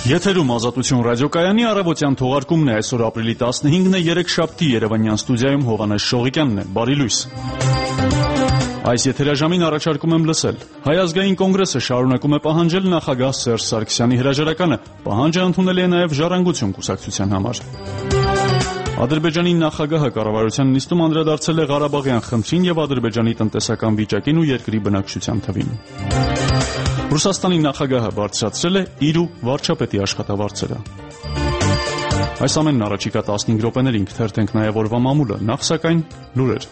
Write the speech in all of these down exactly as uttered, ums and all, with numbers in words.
Եթերում Ազատություն ռադիոկայանի առավոտյան թողարկումն է։ Այսօր ապրիլի տասնհինգն է, երեքշաբթի Երևանյան ստուդիայում Հովհաննես Շողիկյանն է։ Բարի լույս։ Այս եթերաժամին առաջարկում եմ լսել. Հայ ազգային կոնգրեսը շարունակում է պահանջել նախագահ Սերժ Սարգսյանի հրաժարականը, պահանջը ընդունել է նաև Ժառանգություն կուսակցության համար։ Ադրբեջանի նախագահը կառավարության նիստում անդրադարձել է Ղարաբաղյան խնդրին եւ Ադրբեջանի տնտեսական վիճակին ու երկրի բնակչության թվին։ Ռուսաստանի նախագահը բարձրացրել է իր ու վարչապետի աշխատավարձերը։ Այս ամենն առաջիկա տասնհինգ րոպեներին կթերթենք նաև օրվա մամուլը, նախ սակայն լուրեր։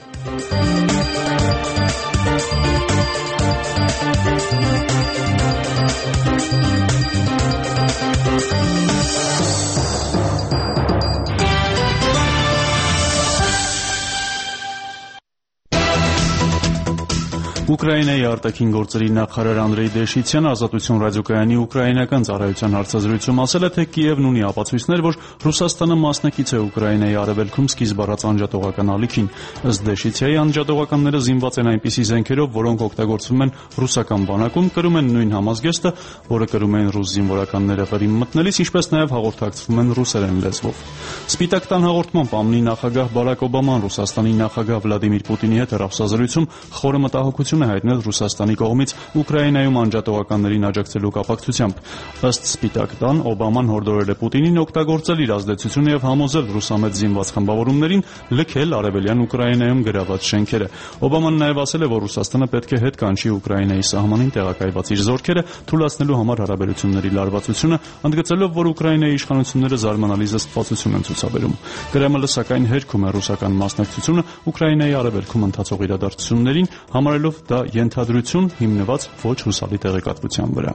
Ուկրաինայի արտաքին գործերի նախարար Անդրեյ Դեշիցյանը Ազատություն ռադիոկայանի ուկրաինական ծառայության հարցազրույցում ասել է, թե Կիևն ունի ապացույցներ, որ Ռուսաստանը մասնակից է Ուկրաինայի արևելքում սկիզբ առած անջատողական ալիքին։ Ըստ Դեշիցյայի, անջատողականները զինված են այնպիսի զենքերով, որոնք օգտագործվում են ռուսական բանակում, կրում են նույն համազգեստը, որը կրում էին ռուս զինվորականները վրին մտնելիս, ինչպես նաև հաղորդակցվում են ռուսերեն լեզվով։ Սպիտակ տան հաղորդմամբ ԱՄՆ-ի նախագահ Բարակ Օբաման Ռուսաստանի նախագահ Վլադիմիր Պուտինի հետ հեռախոսազրույցում խորը մտահոգություն է հայտնել Ռուսաստանի կողմից Ուկրաինայում անջատողականներին աջակցելու կապակցությամբ։ Ըստ Սպիտակ տան, Օբաման հորդորել է Պուտինին օգտագործել իր ազդեցությունը եւ համոզել ռուսամետ զինված խմբավորումներին լքել արևելյան Ուկրաինայում գրաված շենքերը։ Օբաման նաև ասել է, որ Ռուսաստանը պետք է հետ կանչի Ուկրաինայի սահմանին տեղակայված իր զորքերը, թույլատնելու համար հարաբերությունների լարվածությունը, ընդգծելով, որ Ուկրաինայի իշխանությունները զարմանալի զսպվածություն են ցուցաբերում։ Կրեմլը սակայն հերքում է ռուսական մասնակցությունը Ուկրաինայի արևելքում ընթացող իրադարձություններին, համարելով դա ենթադրություն հիմնված ոչ հուսալի տեղեկատվության վրա։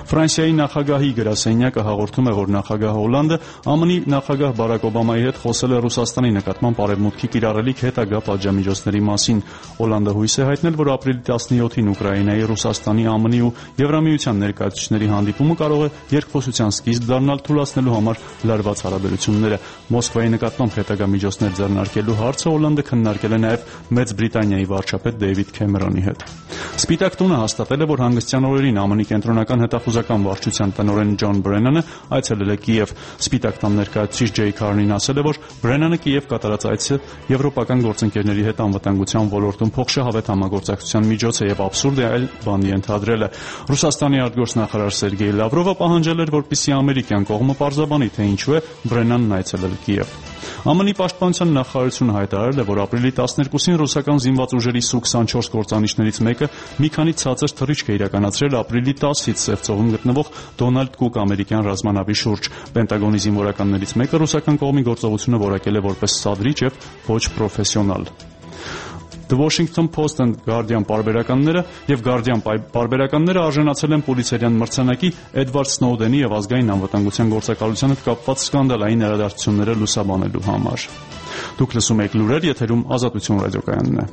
Ֆրանսիայի նախագահի գրասենյակը հաղորդում է, որ նախագահ Հոլանդը ԱՄՆ-ի նախագահ Բարակ Օբամայի հետ խոսել է Ռուսաստանի նկատմամբ արևմուտքի կիրառելիք հետագա պատժամիջոցների մասին։ Հոլանդը հույս է հայտնել, որ ապրիլի տասնյոթին Ուկրաինայի, Ռուսաստանի, ԱՄՆ-ի ու Եվրամիության ներկայացուցիչների հանդիպումը կարող է երկխոսության սկիզբ դառնալ, թույլատնելու համար լարված հարաբերությունները։ Մոսկվայի նկատմամբ հետագա միջոցներ ձեռնարկելու հարցը Հոլանդը քննարկել է նաև Մեծ Բրիտանիայի վարչապետ Դեյվիդ Քեմերոնի հետ։ Սպիտակ տունը հաստատել է, որ հանգստյան օրերին ԱՄՆ-ի կենտրոնական հետախուզական վարչության տնօրեն Ջոն Բրենանը այցելել է Կիև։ Սպիտակ տան ներկայացուցիչ Ջեյ Քարնին ասել է, որ Բրենանը Կիև կատարած այցը եվրոպական գործընկերների հետ անվտանգության ոլորտում փոխշահավետ համագործակցության միջոց է եւ աբսուրդ է այլ բան ենթադրել է։ Ռուսաստանի արտգործնախարար Սերգեյ Լավրովը պահանջել էր, որպեսզի ամերիկյան կողմը պարզաբանի, թե ինչու է Բրենանն այցելել Կիև։ ԱՄՆ-ի պաշտպանության նախարարությունը հայտարարել է, որ ապրիլի տասներկուսին ռուսական զինված ուժերի Սու քսանչորս կործանիչներից մեկը մի քանի ցածր թռիչք է իրականացրել ապրիլի տասից Սև ծովում գտնվող Դոնալդ Կուկ ամերիկյան ռազմանավի շուրջ։ Պենտագոնի զինվորականներից մեկը ռուսական կողմի գործողությունը որակել է որպես սադրիչ եւ ոչ պրոֆեսիոնալ։ The Washington Post and Guardian պարբերականները եւ Guardian պարբերականները արժանացել են Պուլիցերյան մրցանակի Էդվարդ Սնոուդենի եւ ազգային անվտանգության գործակալության հետ կապված սկանդալային իրադարձությունները լուսաբանելու համար։ Դուք լսում եք լուրեր, եթերում Ազատություն ռադիոկայանն է։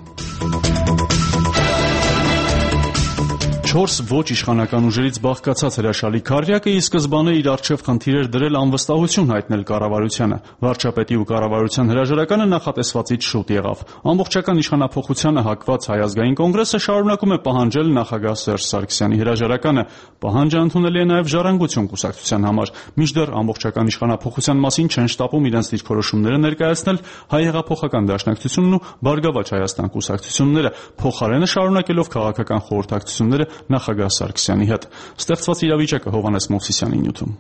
Չորս ոչ իշխանական ուժերից բաղկացած հրաշալի քառյակը ի սկզբանե իր առջև խնդիր էր դրել անվստահություն հայտնել կառավարությանը։ Վարչապետի ու կառավարության հրաժարականը նախատեսվածից շուտ եղավ։ Ամբողջական իշխանափոխությանը հակված Հայ ազգային կոնգրեսը շարունակում է պահանջել նախագահ Սերժ Սարգսյանի հրաժարականը։ Պահանջը ընդունելի է նաև Ժառանգություն կուսակցության համար։ Մինչդեռ ամբողջական իշխանափոխության մասին չեն շտապում իրենց դիրքորոշումները ներկայացնել Հայ հեղափոխական դաշնակցությունն ու Բարգավաճ Հայաստան կուսակցությունները, փոխարենը շարունակելով քաղաքական խորհրդակցությունները նախագահ Սարգսյանի հետ։ Ստեղծված իրավիճակը Հովհաննես Մովսիսյանի նյութում։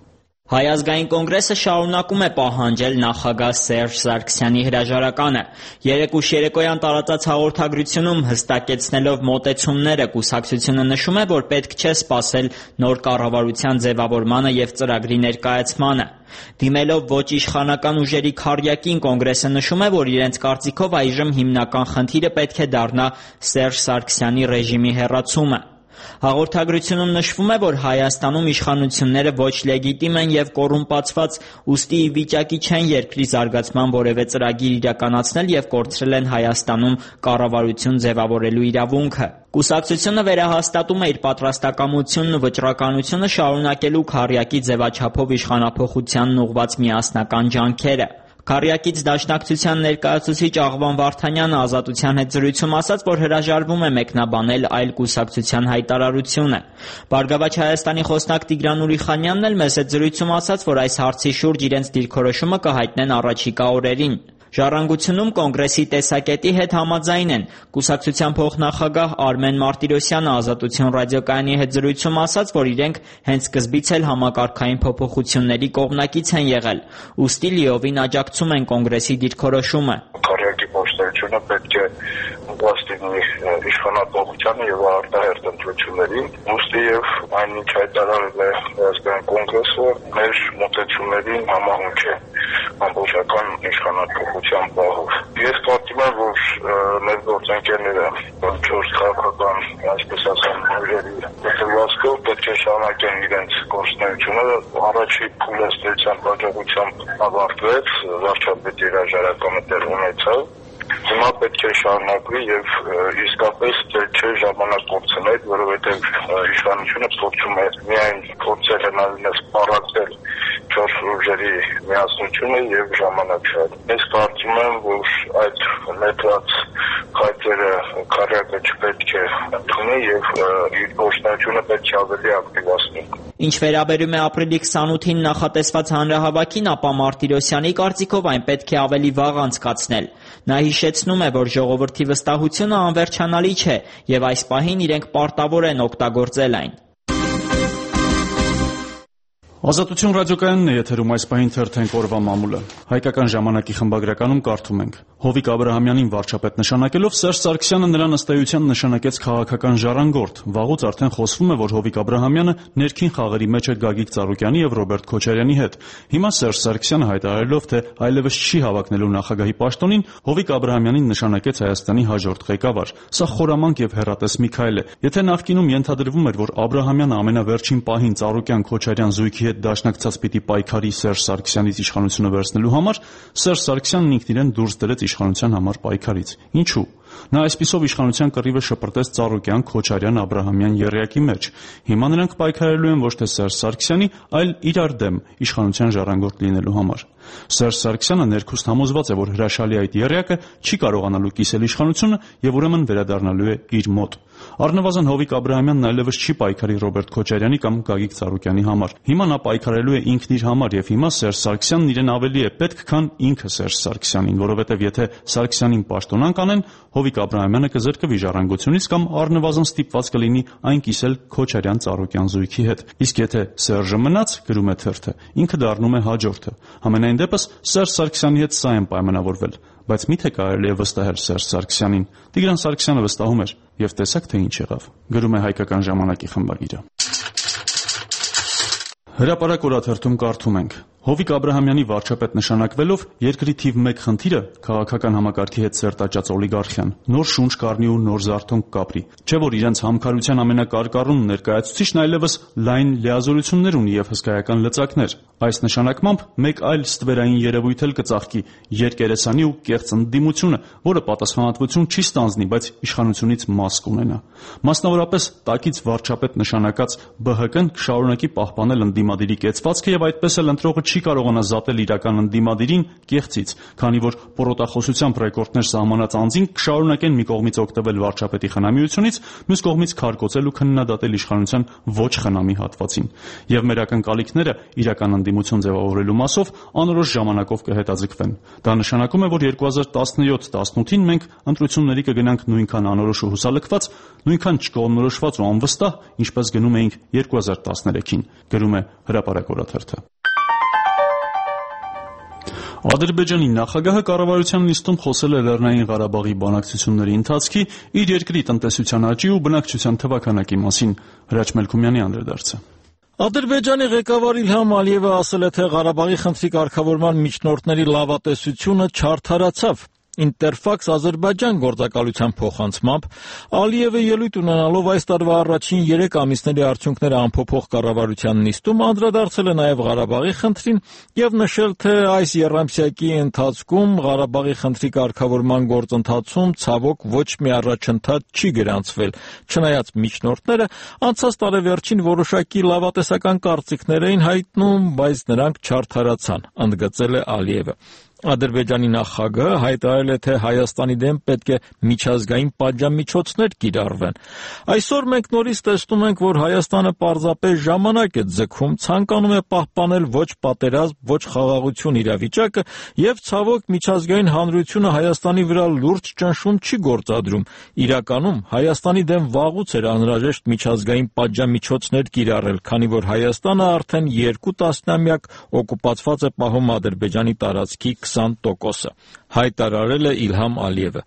Հայ ազգային կոնգրեսը շարունակում է պահանջել նախագահ Սերժ Սարգսյանի հրաժարականը։ Երեկուշ երեկոյան տարածած հաղորդագրությունում հստակեցնելով մոտեցումները կուսակցությունը նշում է, որ պետք չէ սպասել նոր կառավարության ձևավորմանը եւ ծրագրի ներկայացմանը։ Դիմելով ոչ իշխանական ուժերի քառյակին, կոնգրեսը նշում է, որ իրենց կարծիքով այժմ հիմնական խնդիրը պետք է դառնա Սերժ Սարգսյանի ռեժիմի հեռացումը։ Հաղորդագրությունում նշվում է, որ Հայաստանում իշխանությունները ոչ լեգիտիմ են եւ կոռումպացված, ուստի ի վիճակի չեն երկրի զարգացման որևէ ծրագիր իրականացնել եւ կորցրել են Հայաստանում կառավարություն ձևավորելու իրավունքը։ Կուսակցությունը վերահաստատում է իր պատրաստակամությունն ու վճռականությունը շարունակելու քառյակի ձևաչափով իշխանափոխությանն ուղղված միասնական ջանքերը։ Քարյակից Դաշնակցության ներկայացուցիչ Աղվան Վարդանյանը Ազատության հետ զրույցում ասաց, որ հրաժարվում է մեկնաբանել այլ կուսակցության հայտարարությունը։ Բարգավաճ Հայաստանի խոսնակ Տիգրան Ուրիխանյանն էլ մեծ հետ զրույցում ասաց, որ այս հարցի շուրջ իրենց դիրքորոշումը կհայտնեն առաջիկա օրերին։ Ժառանգությունում կոնգրեսի տեսակետի հետ համաձայն են։ Կուսակցության փոխնախագահ Արմեն Մարտիրոսյանը Ազատություն ռադիոկայանի հետ զրույցում ասաց, որ իրենք հենց սկզբից էլ համակարգային փոփոխությունների կողմնակից են եղել, ուստի լիովին աջակցում են կոնգրեսի դիրքորոշումը։ Քարյակի փոխնախագահությունը պետք է ուղղաստիի իշխանապողությանը եւ արտահերտ ընտրություններին, ուստի եւ այնինչ հայտարարել է Հայաստանի կոնգրեսը մեր մոտեցումներին համահունչ է ամբողջական իշխանապողության բաղով։ Ես կարծում եմ, որ մեր գործընկերները չորս քաղաքական, այսպես ասեմ, ուժերի դեպքով պետք է շարունակեն իրենց գործունեությունը։ Առաջի փուլեստերության հաջողությամբ ավարտվեց, վարչապետի հրաժարականը տեղ ունեցավ։ Հիմա պետք է շարունակվի եւ իսկապես չէ ժամանակ կորցնել, որովհետեւ իշխանությունը փորձում է միայն փորձել հնարավորինս պարակել չորս ուժերի միասնությունը եւ ժամանակ շատ։ Ես կարծում եմ, որ այդ մեծած քայլերը քարյակը չպետք է ընդունի եւ իր գործունեությունը պետք է ավելի ակտիվացնի։ Ինչ վերաբերում է ապրիլի քսանութին նախատեսված հանրահավաքին, ապա Մարտիրոսյանի կարծիքով այն պետք է ավելի վաղ անցկացնել։ Նա հիշեցնում է, որ ժողովրդի վստահությունը անվերջանալի չէ եւ այս պահին իրենք պարտավոր են օգտագործել այն։ Ազատություն ռադիոկայանն է եթերում այս պահին թերթենք օրվա մամուլը։ Հայկական ժամանակի խմբագրականում կարդում ենք. Հովիկ Աբրահամյանին վարչապետ նշանակելով Սերժ Սարգսյանը նրան ըստ էության նշանակեց քաղաքական ժառանգորդ։ Վաղուց արդեն խոսվում է, որ Հովիկ Աբրահամյանը ներքին խաղերի մեջ է Գագիկ Ծառուկյանի եւ Ռոբերտ Քոչարյանի հետ։ Հիմա Սերժ Սարգսյանը հայտարարելով, թե այլևս չի հավակնելու նախագահի պաշտոնին, Հովիկ Աբրահամյանին նշանակեց Հայաստանի հաջորդ ղեկավար։ Սա խորամանկ եւ հեռատես մի քայլ է։ Եթե նախկինում ենթադրվում էր, որ Աբրահամյանը ամենավերջին պահին Ծառուկյան-Քոչարյան զույգի հետ դաշնակցած պիտի պայքարի Սերժ Սարգսյանից իշխանությունը վերցնելու համար, Սերժ Սարգսյանն ինքն իրեն դուրս դրեց իշխանության համար պայքարից։ Ինչու՞։ Նա այսպիսով իշխանության կռիվը շպրտեց Ծառուկյան, Քոչարյան, Աբրահամյան եռյակի մեջ։ Հիմա նրանք պայքարելու են ոչ թե Սերժ Սարգսյանի, այլ իրար դեմ իշխանության ժառանգորդ լինելու համար։ Սերժ Սարգսյանը ներքուստ համոզված է, որ հրաշալի այդ եռյակը չի կարողանալու կիսել իշխանությունը եւ ուրեմն վերադառնալու է իր մոտ։ Առնվազն Հովիկ Աբրահամյանն այլևս չի պայքարի Ռոբերտ Քոչարյանի կամ Գագիկ Ծառուկյանի համար։ Հիմա նա պայքարելու է ինքն իր համար եւ հիմա Սերժ Սարգսյանն իրեն ավելի է պետք, քան ինքը Սերժ Սարգսյանին, որովհետեւ եթե Սարգսյանին պաշտոնանկ անեն, Հովիկ Աբրահամյանը կզրկվի ժառանգությունից կամ առնվազն ստիպված կլինի այն կիսել Քոչարյան-Ծառուկյան զույգի հետ։ Իսկ եթե Սերժը մնաց, գրում է թերթը, ինքը դառնում է հաջորդը։ Համենայն դեպս Սերժ Սարգսյանի հետ սա են պայմանավորվել, բայց միթե կարելի է վստահել Սերժ Սարգսյանին։ Տիգրան Սարգսյանը վստահում էր եւ տեսակ թե ինչ եղավ։ Գրում է Հայկական ժամանակի խմբագիրը։ Հրապարակ օրաթերթում կարդում ենք. Հովիկ Աբրահամյանի վարչապետ նշանակվելով երկրի թիվ մեկ խնդիրը քաղաքական համակարգի հետ սերտաճած օլիգարխիան նոր շունչ կառնի ու նոր զարթոնք կապրի։ Չէ որ իրենց համքարության ամենակարկառուն ներկայացուցիչն այլևս լայն լիազորություններ ունի եւ հսկայական լծակներ։ Այս նշանակմամբ մեկ այլ ստվերային երևույթ էլ կծաղկի՝ երկերեսանի ու կեղծ ընդդիմությունը, որը պատասխանատվություն չի ստանձնի, բայց իշխանությունից մաս կունենա։ Մասնավորապես տակից վարչապետ նշանակած Բ Հ Կն կշարունակի պահպանել ընդդիմադիրի կեցվածքը եւ այդպես էլ ընտրողը չի կարողանա զատել իրական ընդդիմադիրին կեղծից, քանի որ պորոտախոսությամբ ռեկորդներ սահմանած անձին կշարունակեն մի կողմից օգտվել վարչապետի խնամիությունից, մյուս կողմից քարկոծել ու քննադատել իշխանության ոչ խնամի հատվածին։ Եվ մեր ակնկալիքները իրական ընդդիմություն ձևավորելու մասով անորոշ ժամանակով կհետաձգվեն։ Դա նշանակում է, որ երկու հազար տասնյոթ տասնութին մենք ընտրությունների կգնանք նույնքան անորոշ ու հուսալքված, նույնքան չկողմնորոշված ու անվստահ, ինչպես գնում էինք երկու հազար տասներեքին, գրում է Հրապարակ օրաթերթը։ Ադրբեջանի նախագահը կառավարության նիստում խոսել է Լեռնային Ղարաբաղի բանակցությունների ընթացքի, իր երկրի տնտեսության աճի ու բնակչության թվաքանակի մասին։ Հրաչ Մելքումյանի անդրադարձը։ Ադրբեջանի ղեկավար Իլհամ Ալիևը ասել է, թե Ղարաբաղի խնդրի կարգավորման միջնորդների լավատեսությունը չարդարացավ։ Ինտերֆաքս Ադրբեջան գործակալության փոխանցմամբ Ալիևը ելույթ ունենալով այս տարվա առաջին երեք ամիսների արդյունքները ամփոփող կառավարության նիստում անդրադարձել է նաև Ղարաբաղի խնդրին եւ նշել, թե այս եռամսյակի ընթացքում Ղարաբաղի խնդրի կարգավորման գործընթացում ցավոք ոչ մի առաջընթաց չի գրանցվել, չնայած միջնորդները անցած տարեվերջին որոշակի լավատեսական կարծիքներ էին հայտնում, բայց նրանք չարդարացան, ընդգծել է Ալիևը։ Ադրբեջանի նախագահը հայտարարել է, թե Հայաստանի դեմ պետք է միջազգային պատժամիջոցներ կիրառվեն։ Այսօր մենք նորից տեսնում ենք, որ Հայաստանը պարզապես ժամանակ է ձգում, ցանկանում է պահպանել ոչ պատերազմ, ոչ խաղաղություն իրավիճակը եւ ցավոք միջազգային հանրությունը Հայաստանի վրա լուրջ ճնշում չի գործադրում։ Իրականում Հայաստանի դեմ վաղուց էր անհրաժեշտ միջազգային պատժամիջոցներ կիրառել, քանի որ Հայաստանը արդեն երկու տասնամյակ օկուպացված է պահում Ադրբեջանի տարածքի քսան տոկոսը, հայտարարել է Իլհամ Ալիևը։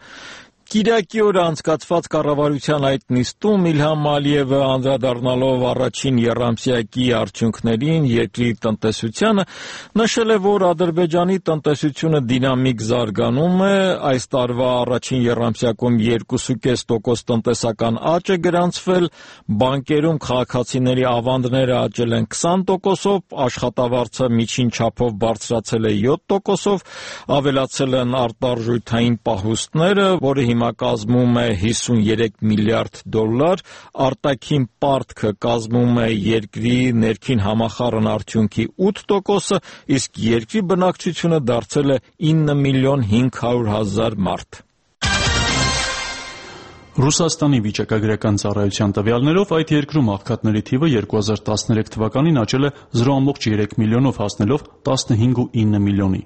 Կիրակի օրը անցկացված կառավարության այդ նիստում Իլհամ Ալիևը անդրադառնալով առաջին եռամսյակի արդյունքներին երկրի տնտեսությանը նշել է, որ Ադրբեջանի տնտեսությունը դինամիկ զարգանում է, այս տարվա առաջին եռամսյակում երկու կես տոկոս տնտեսական աճ է գրանցվել, բանկերում քաղաքացիների ավանդները աճել են քսան տոկոսով, աշխատավարձը միջին չափով բարձրացել է յոթ տոկոսով, ավելացել են արտարժութային պահուստները, որը հիմա կազմում է հիսունյերեք միլիարդ դոլար, արտաքին պարտքը կազմում է երկրի ներքին համախառն արդյունքի ութ տոկոսը, իսկ երկրի բնակչությունը դարձել է ինը միլիոն հինգ հարյուր հազար մարդ։ Ռուսաստանի վիճակագրական ծառայության տվյալներով այդ երկրում աղքատների թիվը երկու հազար տասներեք թվականին աճել է զրո կόμma երեք միլիոնով հասնելով տասնհինգ կόμma ինը միլիոնի։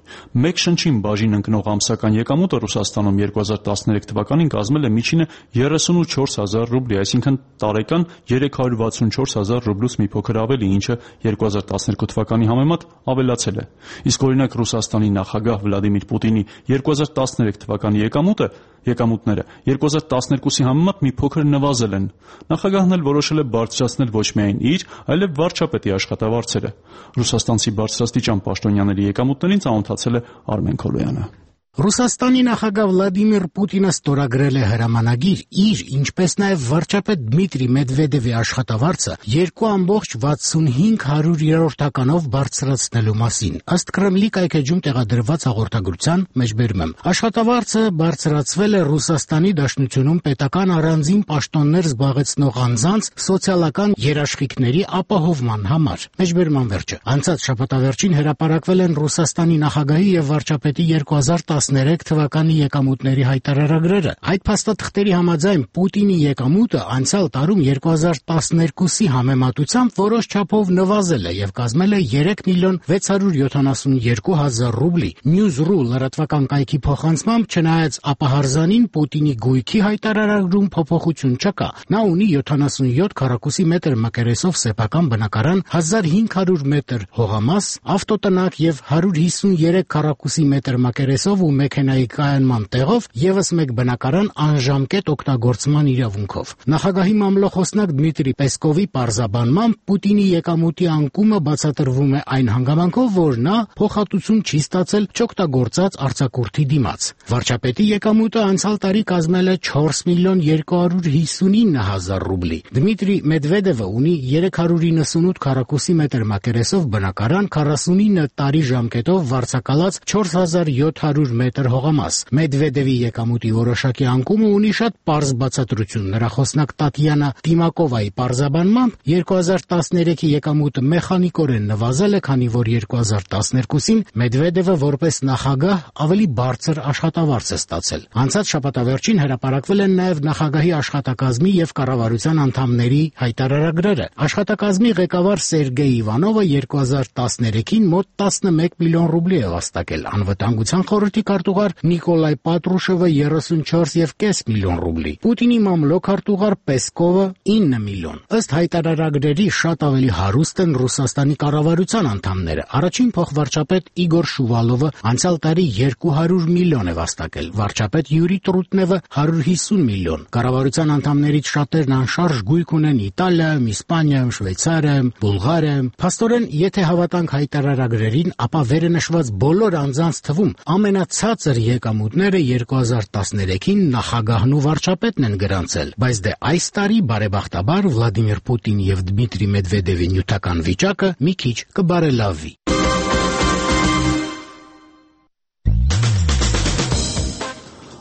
Մեկ շնչին բաժին ընկնող ամսական եկամուտը Ռուսաստանում երկու հազար տասներեք թվականին կազմել է միջինը երեսունչորս հազար ռուբլի, այսինքն տարեկան երեք հարյուր վաթսունչորս հազար ռուբլուց մի փոքր ավելի, ինչը երկու հազար տասներկու թվականի համեմատ ավելացել է։ Իսկ օրինակ Ռուսաստանի նախագահ Վլադիմիր Պուտինի երկու հազար տասներեք թվականի եկամուտը եկամուտները երկու հազար տասներկուսի համեմատ մի փոքր նվազել են։ Նախագահն էլ որոշել է բարձրացնել ոչ միայն իր, այլև վարչապետի աշխատավարձերը։ Ռուսաստանցի բարձրաստիճան պաշտոնյաների եկամուտներին ծանոթացել է Արմեն Քոլոյանը։ Ռուսաստանի նախագահ Վլադիմիր Պուտինը ստորագրել է հրամանագիր իր, ինչպես նաև վարչապետ Դմիտրի Մեդվեդևի աշխատավարձը երկու կόμma վաթսունհինգ հարյուրյերորդականով բարձրացնելու մասին, ըստ Կրեմլի կայքեջում տեղադրված հաղորդագրության մեջբերում եմ։ Աշխատավարձը բարձրացվել է Ռուսաստանի Դաշնությունում պետական առանձին պաշտոններ զբաղեցնող անձանց սոցիալական երաշխիքների ապահովման համար։ Մեջբերման վերջը։ Անցած շաբաթավերջին հրապարակվել են Ռուսաստանի նախագահի եւ վարչապետի երկու հազար տասներեք թվականի եկամուտների հայտարարագրերը։ Այդ փաստաթղթերի համաձայն Պուտինի եկամուտը անցյալ տարում երկու հազար տասներկուսի համեմատությամբ որոշ չափով նվազել է եւ կազմել է երեք միլիոն վեց հարյուր յոթանասունյերկու հազար ռուբլի։ News.ru լրատվական կայքի փոխանցմամբ, չնայած ապահարզանին Պուտինի գույքի հայտարարագրում փոփոխություն չկա, նա ունի յոթանասունյոթ քառակուսի մետր մակերեսով սեփական բնակարան, հազար հինգ հարյուր մետր հողամաս, ավտոտնակ եւ հարյուր հիսունյերեք քառակուսի մետր մակերեսով ու մեքենայի կայանման տեղով եւս մեկ բնակարան անժամկետ օգտագործման իրավունքով։ Նախագահի մամլոխոսնակ Դմիտրի Պեսկովի պարզաբանմամբ Պուտինի եկամուտի անկումը բացատրվում է այն հանգամանքով, որ նա փոխհատուցում չի ստացել չօգտագործած արձակուրդի դիմաց։ Վարչապետի եկամուտը անցյալ տարի կազմել է չորս միլիոն երկու հարյուր հիսունինը հազար ռուբլի։ Դմիտրի Մեդվեդևը ունի երեք հարյուր իննսունութ քառակուսի մետր մակերեսով բնակարան, քառասունինը տարի ժամկետով վարձակալած չորս հազար յոթ հարյուր մետր հողամաս։ Մեդվեդևի եկամուտի որոշակի անկումը ունի շատ պարզ բացատրություն։ Նրա խոսնակ Տատյանա Տիմակովայի պարզաբանմամբ երկու հազար տասներեքի եկամուտը մեխանիկորեն նվազել է, քանի որ երկու հազար տասներկուսին Մեդվեդևը որպես նախագահ ավելի բարձր աշխատավարձ է ստացել։ Անցած շաբաթավերջին հրապարակվել են նաև նախագահի աշխատակազմի եւ կառավարության անդամների հայտարարագրերը։ Աշխատակազմի ղեկավար Սերգեյ Իվանովը երկու հազար տասներեքին մոտ տասնմեկ միլիոն ռուբլի է վաստակել, անվտանգության խորհրդի քարտուղար Նիկոլայ Պատրուշովը երեսունչորս կόμma պենս միլիոն ռուբլի, Պուտինի մամլոք քարտուղար Պեսկովը ինը միլիոն։ Ըստ հայտարարագրերի շատ ավելի հարուստ են Ռուսաստանի կառավարության անդամները։ Առաջին փոխվարչապետ Իգոր Շուվալովը անցյալ տարի երկու հարյուր միլիոն է վաստակել, վարչապետ Յուրի Տրուտնևը հարյուր հիսուն միլիոն։ Կառավարության անդամներից շատերն անշարժ գույք ունեն Իտալիայում, Իսպանիայում, Շվեյցարիայում, Բուլղարիայում։ Փաստորեն, եթե հավատանք հայտարարագրերին, ապա վերը նշված բոլոր անձանց թվում ամենացածր եկամուտները երկու հազար տասներեքին նախագահն ու վարչապետն են գրանցել, բայց դե այս տարի բարեբախտաբար Վլադիմիր Պուտինի եւ Դմիտրի Մեդվեդևի նյութական վիճակը մի քիչ կբարելավվի։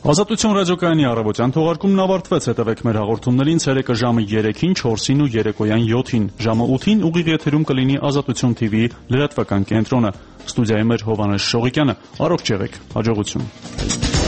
Ազատություն ռադիոկայանի առավոտյան թողարկումն ավարտվեց, հետևեք մեր հաղորդումներին ցերեկը ժամը երեքին, չորսին ու երեկոյան յոթին, ժամը ութին ուղիղ եթերում կլինի Ազատություն թիվի լրատվական կենտրոնը։ Ստուդիայում էր Հովհաննես Շողիկյանը, առողջ եղեք, հաջողություն։